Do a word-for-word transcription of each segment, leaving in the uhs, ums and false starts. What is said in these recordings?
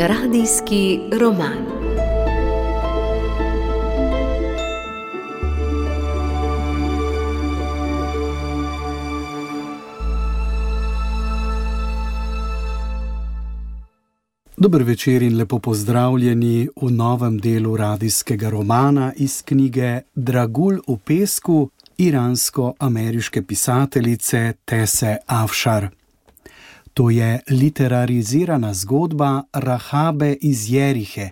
Radijski roman. Dober večer in lepo pozdravljeni v novem delu radijskega romana iz knjige Dragulj v pesku iransko-ameriške pisateljice Tese Afšar. To je literarizirana zgodba Rahabe iz Jerihe,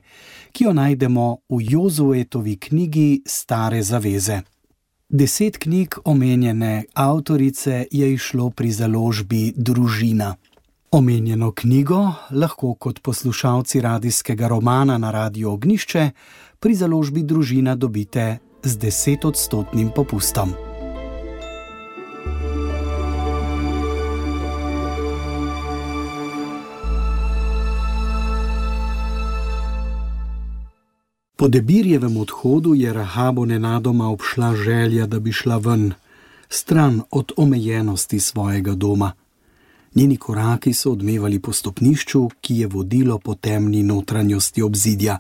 ki jo najdemo v Jozuetovi knjigi Stare zaveze. Deset knjig omenjene avtorice je izšlo pri založbi Družina. Omenjeno knjigo lahko kot poslušalci radijskega romana na Radiu Ognjišče pri založbi Družina dobite z desetodstotnim popustom. Po Debirjevem odhodu je Rahabo nenadoma obšla želja, da bi šla ven, stran od omejenosti svojega doma. Njeni koraki so odmevali po stopnišču, ki je vodilo po temni notranjosti obzidja.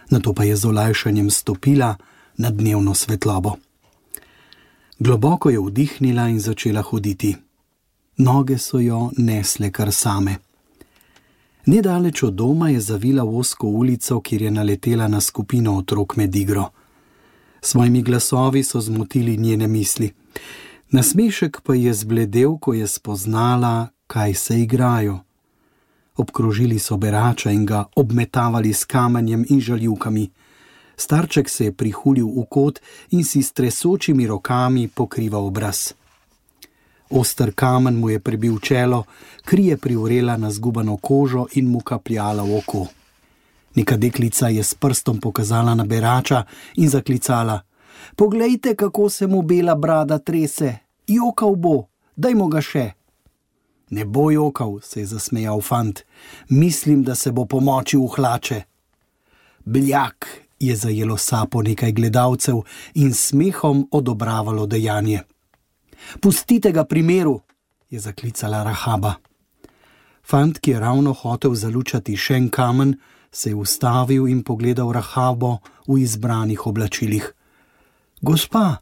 Nato pa je z olajšanjem stopila na dnevno svetlobo. Globoko je vdihnila in začela hoditi. Noge so jo nesle kar same. Nedaleč od doma je zavila v ozko ulico, kjer je naletela na skupino otrok med igro. Svojimi glasovi so zmotili njene misli. Nasmešek pa je zbledel, ko je spoznala, kaj se igrajo. Obkrožili so berača in ga obmetavali s kamenjem in žaljivkami. Starček se je prihulil v kot in si s tresočimi rokami pokrival obraz. Oster kamen mu je prebil čelo, kri je privrela na zgubano kožo in mu kapljala v oko. Neka deklica je s prstom pokazala na berača in zaklicala: "Poglejte, kako se mu bela brada trese, jokal bo, dajmo ga še." "Ne bo jokal," se je zasmejal fant, "mislim, da se bo pomočil v hlače." "Bljak," je zajelo sapo nekaj gledalcev in smehom odobravalo dejanje. "Pustite ga pri miru," je zaklicala Rahaba. Fant, ki je ravno hotel zalučati še en kamen, se je ustavil in pogledal Rahabo v izbranih oblačilih. "Gospa,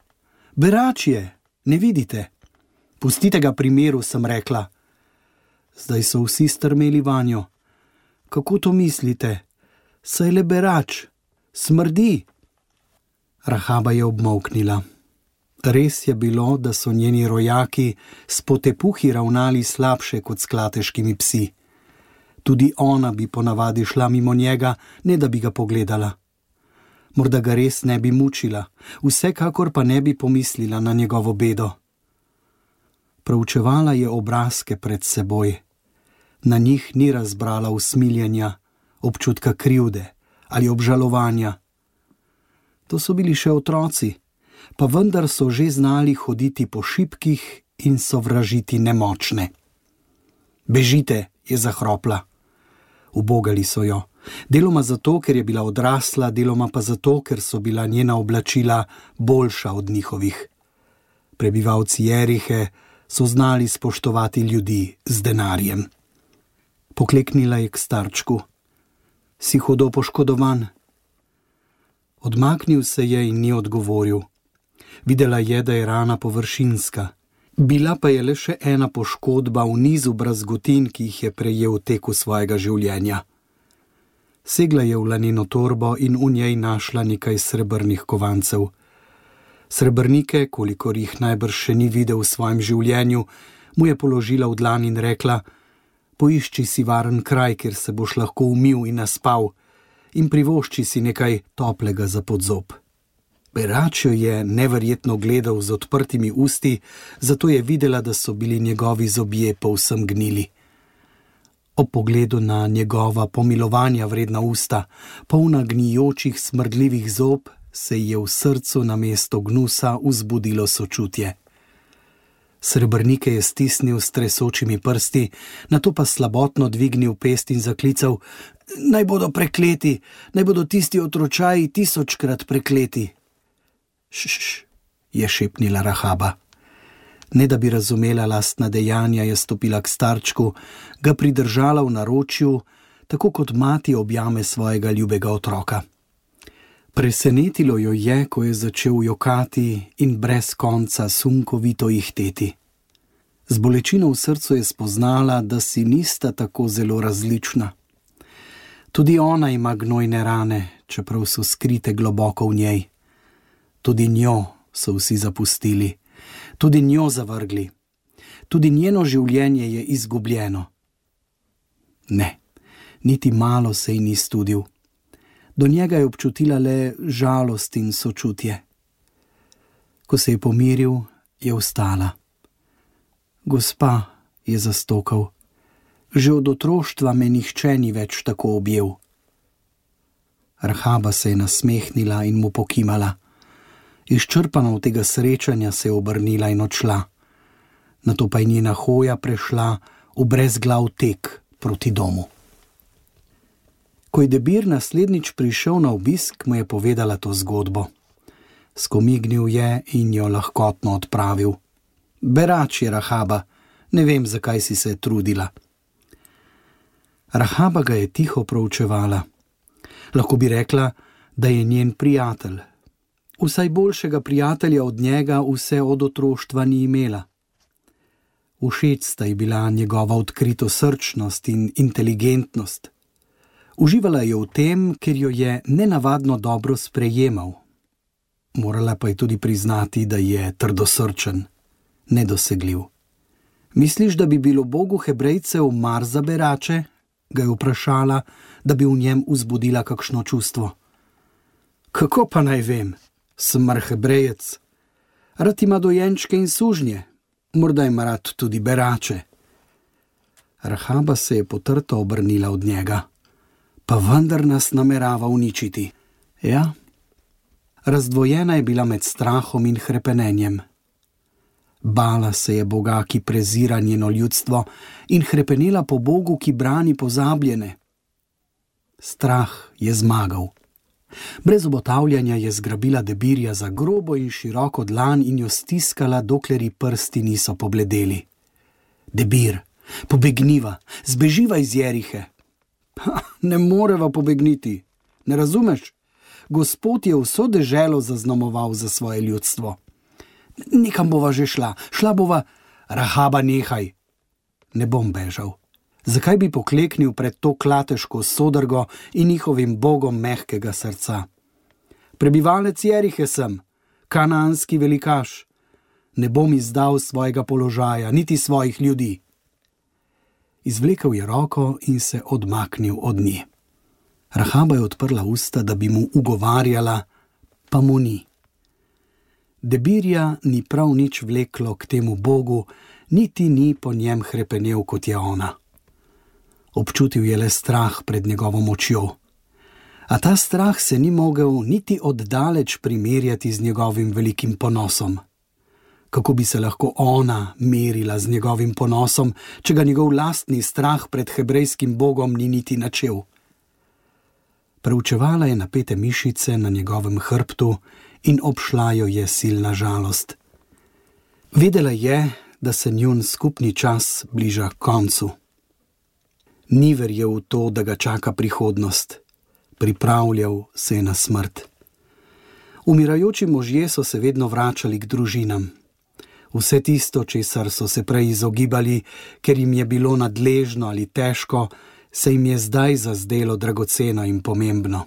berač je, ne vidite?" "Pustite ga pri miru," sem rekla. Zdaj so vsi strmeli vanjo. "Kako to mislite? Saj le berač. Smrdi." Rahaba je obmolknila. Res je bilo, da so njeni rojaki s potepuhi ravnali slabše kot s klateškimi psi. Tudi ona bi ponavadi šla mimo njega, ne da bi ga pogledala. Morda ga res ne bi mučila, vsekakor pa ne bi pomislila na njegovo bedo. Proučevala je obrazke pred seboj. Na njih ni razbrala usmiljenja, občutka krivde ali obžalovanja. To so bili še otroci, pa vendar so že znali hoditi po šipkih in sovražiti nemočne. "Bežite," je zahropla. Ubogali so jo, deloma zato, ker je bila odrasla, deloma pa zato, ker so bila njena oblačila boljša od njihovih. Prebivalci Jerihe so znali spoštovati ljudi z denarjem. Pokleknila je k starčku. "Si hudo poškodovan?" Odmaknil se je in ni odgovoril. Videla je, da je rana površinska. Bila pa je le še ena poškodba v nizu brazgotin, ki jih je prejel v teku svojega življenja. Segla je v laneno torbo in v njej našla nekaj srebrnih kovancev. Srebrnike, kolikor jih najbrž še ni videl v svojem življenju, mu je položila v dlan in rekla: "Poišči si varen kraj, kjer se boš lahko umil in naspal, in privošči si nekaj toplega za podzob." Berač jo je neverjetno gledal z odprtimi usti, zato je videla, da so bili njegovi zobje povsem gnili. Ob pogledu na njegova pomilovanja vredna usta, polna gnijočih smrdljivih zob, se ji je v srcu namesto gnusa vzbudilo sočutje. Srebrnike je stisnil s tresočimi prsti, nato pa slabotno dvignil pest in zaklical: "Naj bodo prekleti, naj bodo tisti otročaji tisočkrat prekleti." "Šš," je šepnila Rahaba. Ne da bi razumela lastna dejanja, je stopila k starčku, ga pridržala v naročju tako kot mati objame svojega ljubega otroka. Presenetilo jo je, ko je začel jokati in brez konca sunkovito ihteti. Z bolečino v srcu je spoznala, da si nista tako zelo različna. Tudi ona ima gnojne rane, čeprav so skrite globoko v njej. Tudi njo so vsi zapustili, tudi njo zavrgli. Tudi njeno življenje je izgubljeno. Ne, niti malo se ji ni studil. Do njega je občutila le žalost in sočutje. Ko se je pomiril, je vstala. Gospa, je zastokal, že od otroštva me nihče ni več tako objel. Rahaba se je nasmehnila in mu pokimala. Izčrpana od tega srečanja se je obrnila in odšla. Nato pa je njena hoja prešla v brezglav tek proti domu. Ko je Debir naslednjič prišel na obisk, mu je povedala to zgodbo. Skomignil je in jo lahkotno odpravil. Berač je, Rahaba, ne vem, zakaj si se trudila. Rahaba ga je tiho proučevala. Lahko bi rekla, da je njen prijatelj. Vsaj boljšega prijatelja od njega vse od otroštva ni imela. Všeč sta ji bila njegova odkritosrčnost in inteligentnost. Uživala je v tem, ker jo je nenavadno dobro sprejemal. Morala pa je tudi priznati, da je trdosrčen, nedosegljiv. Misliš, da bi bilo Bogu Hebrejcev mar za berače? Ga je vprašala, da bi v njem vzbudila kakšno čustvo. Kako pa naj vem? Sem mar Hebrejec. Rad ima dojenčke in sužnje. Morda ima rad tudi berače. Rahaba se je potrto obrnila od njega. Pa vendar nas namerava uničiti. Ja? Razdvojena je bila med strahom in hrepenenjem. Bala se je Boga, ki prezira njeno ljudstvo, in hrepenela po Bogu, ki brani pozabljene. Strah je zmagal. Brez obotavljanja je zgrabila Debirja za grobo in široko dlan in jo stiskala, dokler ji prsti niso pobledeli. Debir, pobegniva, zbeživa iz Jerihe. Ha, ne moreva pobegniti, ne razumeš? Gospod je vso deželo zaznamoval za svoje ljudstvo. Nekam bova že šla, šla bova, Rahaba, nehaj. Ne bom bežal. Zakaj bi pokleknil pred to klateško sodrgo in njihovim bogom mehkega srca? Prebivalec Jerihe sem, kanaanski velikaš. Ne bom izdal svojega položaja, niti svojih ljudi. Izvlekel je roko in se odmaknil od nje. Rahaba je odprla usta, da bi mu ugovarjala, pa mu ni. Debirja ni prav nič vleklo k temu Bogu, niti ni po njem hrepenel, kot je ona. Občutil je le strah pred njegovo močjo. A ta strah se ni mogel niti oddaleč primerjati z njegovim velikim ponosom. Kako bi se lahko ona merila z njegovim ponosom, če ga njegov lastni strah pred hebrejskim Bogom ni niti načel? Preučevala je napete mišice na njegovem hrbtu in obšla jo je silna žalost. Vedela je, da se njun skupni čas bliža koncu. Ni verjel v to, da ga čaka prihodnost. Pripravljal se je na smrt. Umirajoči možje so se vedno vračali k družinam. Vse tisto, česar so se prej izogibali, ker jim je bilo nadležno ali težko, se jim je zdaj zazdelo dragoceno in pomembno.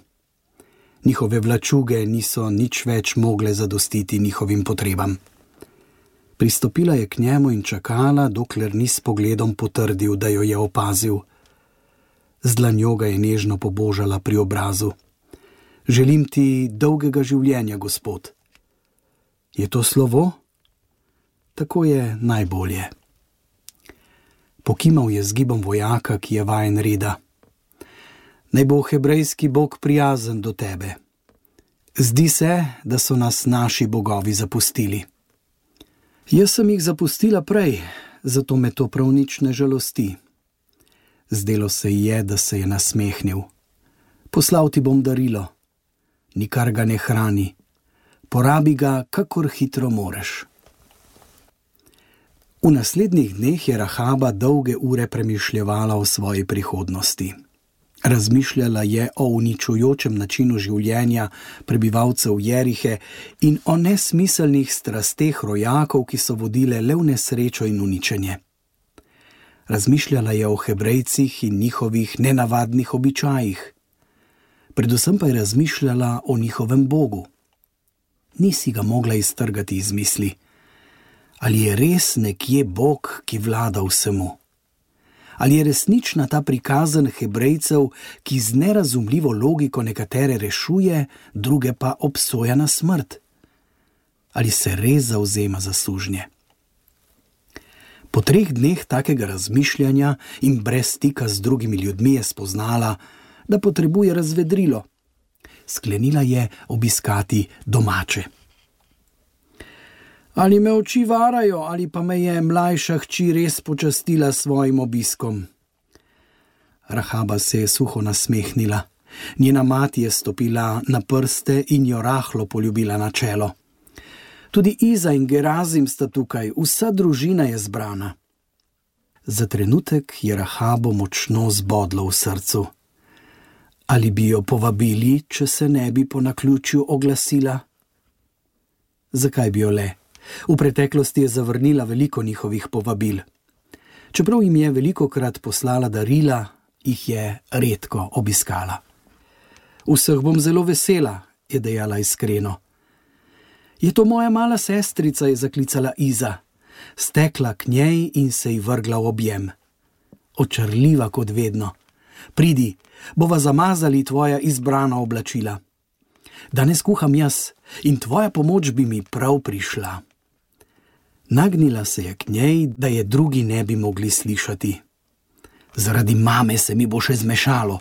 Njihove vlačuge niso nič več mogle zadostiti njihovim potrebam. Pristopila je k njemu in čakala, dokler ni s pogledom potrdil, da jo je opazil. Z dlanjo ga je nežno pobožala pri obrazu. Želim ti dolgega življenja, Gospod. Je to slovo? Tako je najbolje. Pokimal je z gibom vojaka, ki je vajen reda. Naj bo hebrejski Bog prijazen do tebe. Zdi se, da so nas naši bogovi zapustili. Jaz sem jih zapustila prej, zato me to prav nič ne žalosti. Zdelo se ji je, da se je nasmehnil. Poslal ti bom darilo. Nikar ga ne hrani. Porabi ga, kakor hitro moreš. V naslednjih dneh je Rahaba dolge ure premišljevala o svoji prihodnosti. Razmišljala je o uničujočem načinu življenja prebivalcev Jerihe in o nesmiselnih strasteh rojakov, ki so vodile le v nesrečo in uničenje. Razmišljala je o Hebrejcih in njihovih nenavadnih običajih. Predvsem pa je razmišljala o njihovem Bogu. Ni si ga mogla iztrgati iz misli. Ali je res nekje Bog, ki vlada vsemu? Ali je resnična ta prikazan Hebrejcev, ki z nerazumljivo logiko nekatere rešuje, druge pa obsoja na smrt? Ali se res zavzema za sužnje? Po treh dneh takega razmišljanja in brez stika z drugimi ljudmi je spoznala, da potrebuje razvedrilo. Sklenila je obiskati domače. Ali me oči varajo, ali pa me je mlajša hči res počastila s svojim obiskom? Rahaba se je suho nasmehnila. Njena mati je stopila na prste in jo rahlo poljubila na čelo. Tudi Iza in Gerazim sta tukaj, vsa družina je zbrana. Za trenutek je Rahabo močno zbodlo v srcu. Ali bi jo povabili, če se ne bi po naključju oglasila? Zakaj bi jo le? V preteklosti je zavrnila veliko njihovih povabil. Čeprav jim je velikokrat poslala darila, jih je redko obiskala. Vseh bom zelo vesela, je dejala iskreno. Je to moja mala sestrica, je zaklicala Iza. Stekla k njej in se ji vrgla v objem. Očarljiva kot vedno. Pridi, bova zamazali tvoja izbrana oblačila. Danes kuham jaz in tvoja pomoč bi mi prav prišla. Nagnila se je k njej, da je drugi ne bi mogli slišati. Zaradi mame se mi bo še zmešalo.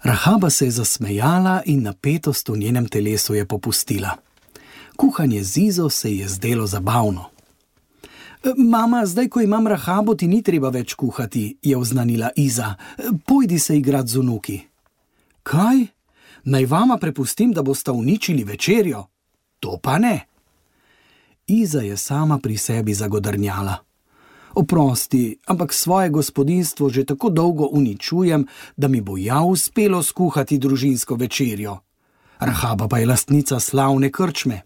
Rahaba se je zasmejala in napetost v njenem telesu je popustila. Kuhanje z Izo se je zdelo zabavno. Mama, zdaj, ko imam Rahabo, ti ni treba več kuhati, je oznanila Iza. Pojdi se igrat z vnuki. Kaj? Naj vama prepustim, da bosta uničili večerjo? To pa ne. Iza je sama pri sebi zagodrnjala. Oprosti, ampak svoje gospodinjstvo že tako dolgo uničujem, da mi bo ja uspelo skuhati družinsko večerjo. Rahaba pa je lastnica slavne krčme.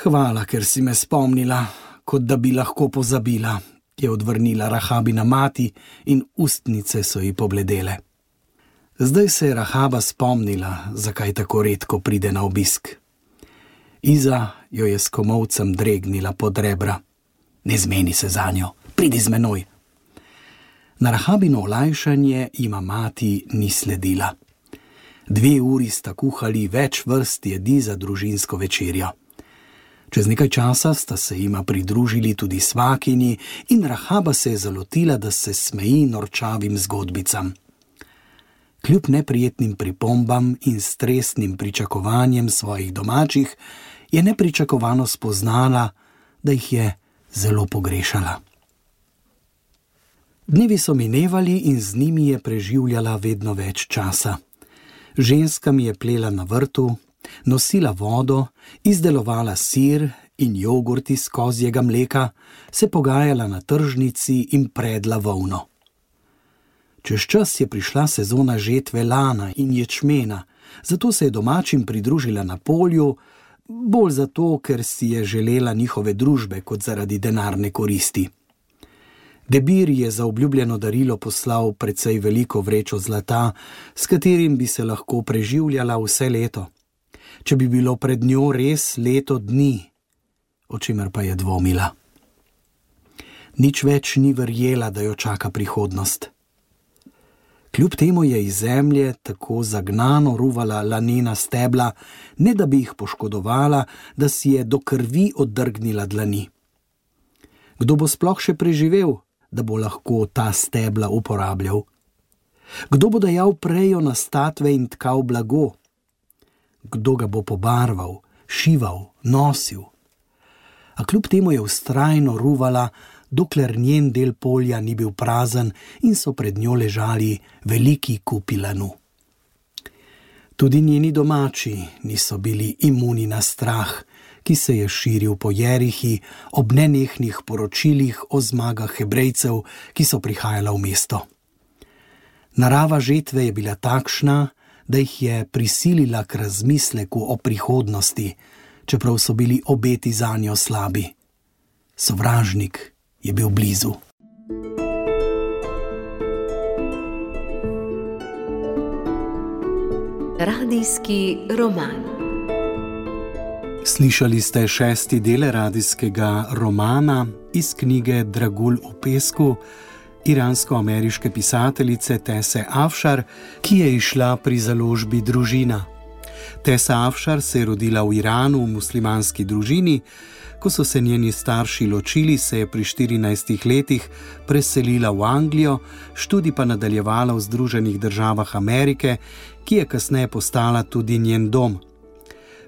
Hvala, ker si me spomnila, kot da bi lahko pozabila, je odvrnila Rahabina mati in ustnice so ji pobledele. Zdaj se je Rahaba spomnila, zakaj tako redko pride na obisk. Iza jo je s komolcem dregnila pod rebra. Ne zmeni se zanjo, pridi z menoj. Na Rahabino olajšanje jima mati ni sledila. Dve uri sta kuhali več vrst jedi za družinsko večerjo. Čez nekaj časa sta se jima pridružili tudi svakini in Rahaba se je zalotila, da se smeji norčavim zgodbicam. Kljub neprijetnim pripombam in stresnim pričakovanjem svojih domačih, je nepričakovano spoznala, da jih je zelo pogrešala. Dnevi so minevali in z njimi je preživljala vedno več časa. Ženskami je plela na vrtu, nosila vodo, izdelovala sir in jogurt iz kozjega mleka, se pogajala na tržnici in predla volno. Čez čas je prišla sezona žetve lana in ječmena, zato se je domačim pridružila na polju, bolj zato, ker si je želela njihove družbe kot zaradi denarne koristi. Debir je za obljubljeno darilo poslal precej veliko vrečo zlata, s katerim bi se lahko preživljala vse leto. Če bi bilo pred njo res leto dni, o čemer pa je dvomila. Nič več ni verjela, da jo čaka prihodnost. Kljub temu je iz zemlje tako zagnano ruvala lanena stebla, ne da bi jih poškodovala, da si je do krvi oddrgnila dlani. Kdo bo sploh še preživel, da bo lahko ta stebla uporabljal? Kdo bo dajal prejo na statve in tkal blago? Kdo ga bo pobarval, šival, nosil? A kljub temu je vztrajno ruvala, dokler njen del polja ni bil prazen in so pred njo ležali veliki kupi lanu. Tudi njeni domači niso bili imuni na strah, ki se je širil po Jerihi ob nenehnih poročilih o zmagah Hebrejcev, ki so prihajala v mesto. Narava žetve je bila takšna, da jih je prisilila k razmisleku o prihodnosti, čeprav so bili obeti zanjo slabi. Sovražnik je bil blizu. Radijski roman. Slišali ste šesti del radijskega romana iz knjige Dragulj v pesku iransko-ameriške pisateljice Tese Afšar, ki je izšla pri založbi Družina. Tesa Afšar se je rodila v Iranu v muslimanski družini. Ko so se njeni starši ločili, se je pri štirinajstih letih preselila v Anglijo, študij pa nadaljevala v Združenih državah Amerike, ki je kasneje postala tudi njen dom.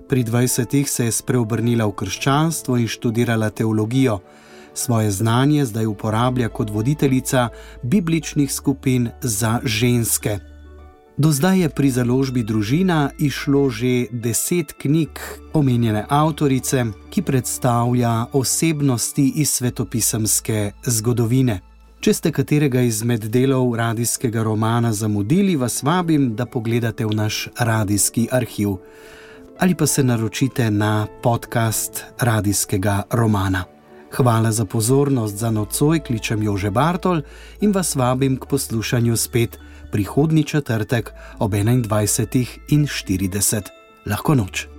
Pri dvajsetih se je spreobrnila v krščanstvo in študirala teologijo. Svoje znanje zdaj uporablja kot voditeljica bibličnih skupin za ženske. Do zdaj je pri založbi Družina izšlo že deset knjig omenjene avtorice, ki predstavlja osebnosti iz svetopisemske zgodovine. Če ste katerega izmed delov radijskega romana zamudili, vas vabim, da pogledate v naš radijski arhiv ali pa se naročite na podcast radijskega romana. Hvala za pozornost, za nocoj kličem Jože Bartol in vas vabim k poslušanju spet prihodnji četrtek ob enaindvajsetih in štirideset. Lahko noč.